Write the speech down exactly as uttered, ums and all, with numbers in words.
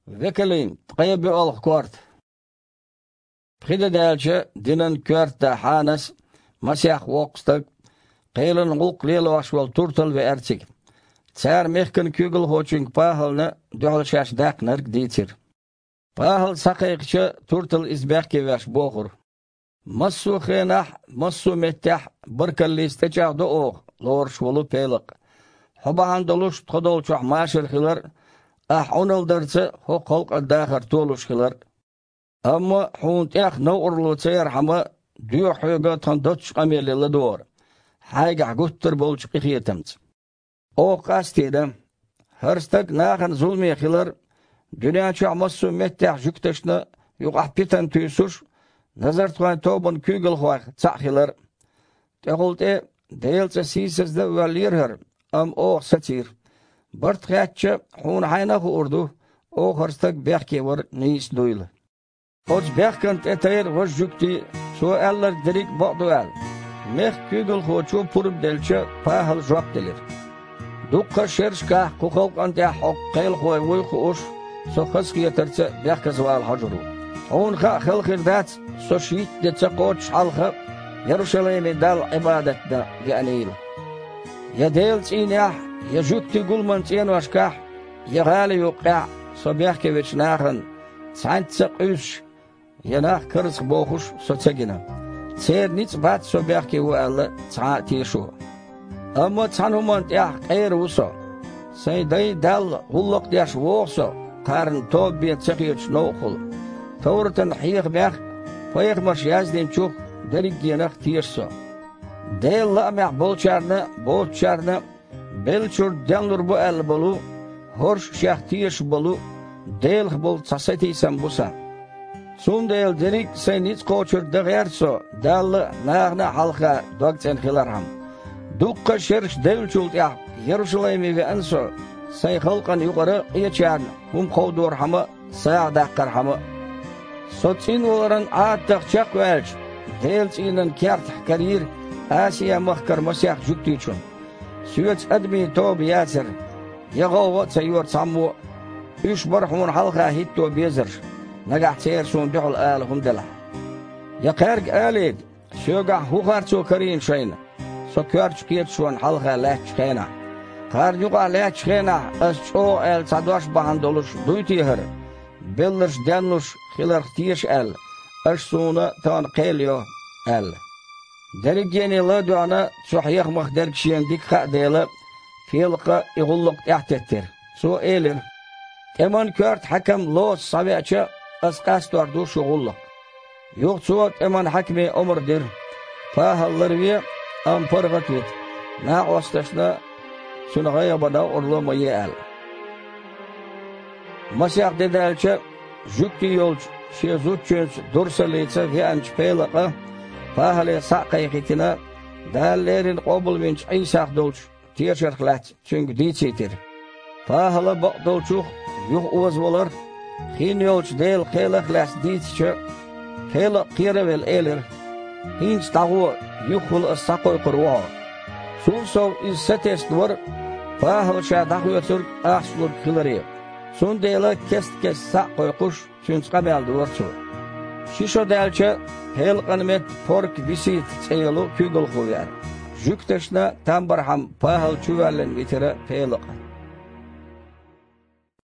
Векалин, ткъе боьалгӀа корта. Пхи де даьлча, динан коьрта да Хьанас, масех воккха стаг, кхелан гӀуллакх лелош волу туртал веара цига. Цара мехкан куьйгалхочуьнга ПахӀална дуьхьал шаьш даьккхинарг дийцира. ПахӀал схьакхайкхича, туртал иза бехке веш бохура: «Массо а хенахь, массо а меттехь баркаллица тӀечӀагӀдо оха, лоруш волу Пелакъ. Хьо бахьана долуш тхо долчохь машар хилар а, ахь Ӏуналла дарца хӀокху халкъан дахар толуш хилар а. Амма хьуна тӀех новкъарло ца ярхьама, доьху хьоьга тхан доцчу къамеле ладогӀар, хьайгахь гуттар а болчу къинхетамца». Оха къастийна: «ХӀара стаг нахана зуламе хилар а, дуьнен чохь массо а меттехь жуьгташна юкъахь питана туьйсуш, назартхойн тобанан куьйгалхойх цхьаъ хилар а. ТӀехула тӀе Делан цӀе сийсаздан а воьллера хӀара, амма оха сацийра. Барт хеттача, хьуна хьайна а хуур ду, оха хӀара стаг бехке вар нийса дуйла». Оцу бехкана тӀе тайра важа жуьгти, цо аьлларг дерриг а бакъду аьлла. Мехкан куьйгалхочо пурба делча, ПахӀала жоп делира: «Дуккха а шерашкахь кху халкъана тӀехь хьо кхелахой вуй хууш, со хазахетарца бехказавала хьожур ву. Хьуна хаа хала хир дац, со шийтта де ца кхочуш хьалха Ярушалайме Далла Ӏибадат дан веанийла. Я Делан цӀийнехь, я жуьгтийн гуламан цӀеношкахь, я гӀала юккъехь со бехке вечу нахана цхьаьнцца а къуьйсуш, я нах карзахбохуш со ца гина. Церан ницкъ бац со бехке ву аьлла цхьа а тешо. Амма цхьана хӀуманна тӀехь къера ву со. Сайн дайн Далла гӀуллакх деш вогӀу со, кхарна тоба бен ца хеташ новкъахула. Товратан хьехамех а, пайхамарша яздинчух а, дерригенах а теша со. Делан лаамехь болчарна а, боцучарна а беллачуьра денлур бу аьлла болу, хӀорш а шех тешаш болу, Делах болу цхьа сатийсам бу сан. Цундела дерриг а сайн ницкъ кхочург дан гӀерта со, Далла а, нахана а хьалха догцӀена хилархьама. Дуккха а шераш девллачул тӀаьхьа Ярушалайме веана со, сайн халкъана юкъара къечарна хӀума кховдорхьама а, сагӀа даккхархьама а. Со цӀинваларан Ӏадатах чекхваьлча, Делан цӀийнан кертахь карийра Асия-махкара масех жуьгтичунна. Соьца адамийн тоба яцара, я гӀовгӀа а ца йора цхьаммо а. Уьш бара хьуна хьалха хӀитто безарш, нагахь церан суна дуьхьал ала хӀума делахь. Я кхаьрга алийта, соьгахь хӀун харцо карийна шайна, со коьртачу кхеташонна хьалха лаьттачу хенахь? Кхарна юкъахь лаьттачу хенахь ас чӀогӀа аьлла цхьа дош бахьана долуш дуй те хӀара, белларш денлуш хиларх теша аьлла, аша суна тахана кхел йо?» – аьлла. Дерригене ладоьгӀна, цу хьехамах дерг шена дика хаьа дела, Пелакъа и гӀуллакх тӀаьхьатеттира. Цо элира: «ТӀеман коьрта хьаькам Лоса схьавеача, ас къастор ду шун гӀуллакх». Юха цо тӀеман хьаькаме омра дира: «ПахӀал ларве, амма паргӀат а вита, накъосташна цуьнан гӀайгӀа бан новкъарло ма е», – аьлла. Масех де даьлча, жуьгти йолчу шен зудчуьнца дурсаллица веанчу Пелакъа ПахӀале схьа а кхайкхийтина, Дала леррина къобалвинчу Ӏийсах долчу тешарх лаьцна цуьнга дийцийтира. ПахӀала бакъдолчух юха озаваларх, хин йолчу Делан кхелах а лаьцна дийцича, Пелакъа кхера а велла элира: «ХӀинца дӀагӀо, юххехула ас схьакхойкхур ву хьо». Цул сов иза сатесна вара ПахӀала ша дӀахоьцург ахчаниг хиларе. Цундела кест-кеста схьа а кхойкхуш, цуьнца къамел дора цо. Ши шо даьлча, Пелакъан метта Порка-Бисита цӀе йолу куьйгалхо веара. Жуьгташна там бархьама ПахӀал чувоьллина витира Пелакъа.